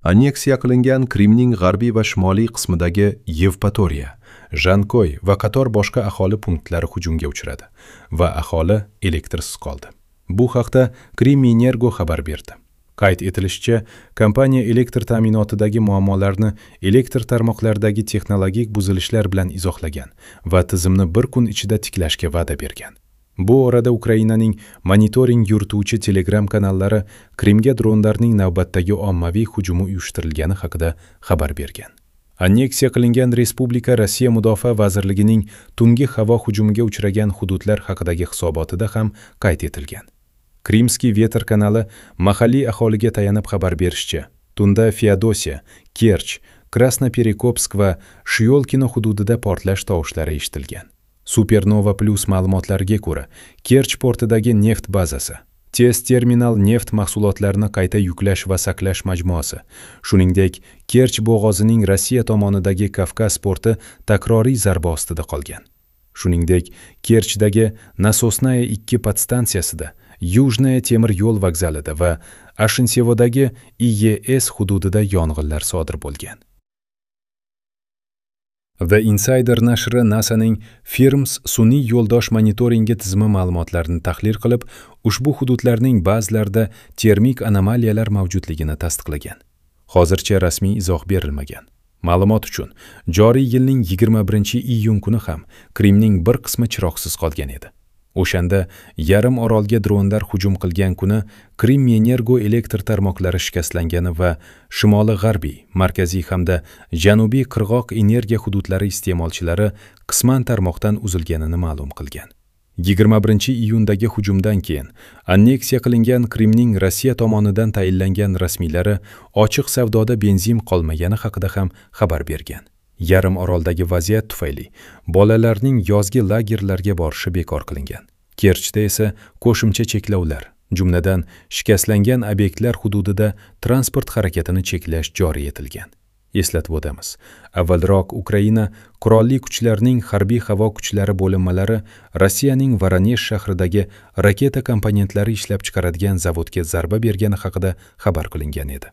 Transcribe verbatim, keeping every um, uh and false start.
Anneksiya qilingan Krimning g'arbiy va shimoliy qismidagi Yevpatoriya, Jankoy va qator boshqa aholi punktlari hujumga uchradi va aholi elektrsiz qoldi. Bu haqda Krimenergo xabar berdi. Qayd etilishicha, kompaniya elektr ta'minotidagi muammolarni elektr tarmoqlaridagi texnologik buzilishlar bilan izohlagan va tizimni bir kun ichida tiklashga va'da bergan. Bu orada Ukrainaning monitoring yurituvchi Telegram kanallari Krimga dronlarning navbatdagi ommaviy hujumi uyushtirilgani haqida xabar bergan. Anneksiya qilingan respublika Rossiya Mudofaa vazirligining tungi havo hujumiga uchragan hududlar haqidagi hisobotida ham qayd etilgan. Krimskiy Vetr kanali mahalliy aholiga tayanib xabar berishicha, tunda Feodosiya, Kerch, Krasnoperekopsk va Shyolkino hududida portlash tovushlari eshitilgan. Supernova Plus ma'lumotlariga ko'ra, Kerch portidagi neft bazasi, tez terminal neft mahsulotlarini qayta yuklash va saqlash majmuasi, shuningdek, Kerch bo'g'ozining Rossiya tomonidagi Kavkaz porti takroriy zarba ostida qolgan. Shuningdek, Kerchdagi Nasosnaya ikki podstansiyasida, Yujnaya temir yo'l vokzalida va Ashintsevodagi I E S hududida yong'inlar sodir bo'lgan. The Insider nashri NASAning FIRMS sun'iy yo'ldosh monitoringi tizimi ma'lumotlarini tahlil qilib, ushbu hududlarning ba'zilarida termik anomaliyalar mavjudligini tasdiqlagan. Hozircha rasmiy izoh berilmagan. Ma'lumot uchun, joriy yilning yigirma birinchi iyun kuni ham Krimning bir qismi chiroqsiz qolgan edi. O'shanda yarim orolga dronlar hujum qilgan kuni Krimenergo elektr tarmoqlari shikastlangani va shimoli-g'arbiy, markaziy hamda janubiy qirg'oq energiya hududlari iste'molchilari qisman tarmoqdan uzilganini ma'lum qilgan. yigirma birinchi iyundagi hujumdan keyin anneksiya qilingan Krimning Rossiya tomonidan tayinlangan rasmiylari ochiq savdoda benzin qolmagani haqida ham xabar bergan. Yarim oroldagi vaziyat tufayli bolalarning yozgi lagerlarga borishi bekor qilingan. Kerchda esa qo'shimcha cheklovlar, jumladan shikastlangan obyektlar hududida transport harakatini cheklash joriy etilgan. Eslatib o'tamiz, avvalroq Ukraina qurolli kuchlarining harbiy havo kuchlari bo'linmalari Rossiyaning Voronezh shahridagi raketa komponentlari ishlab chiqaradigan zavodga zarba bergani haqida xabar qilingan edi.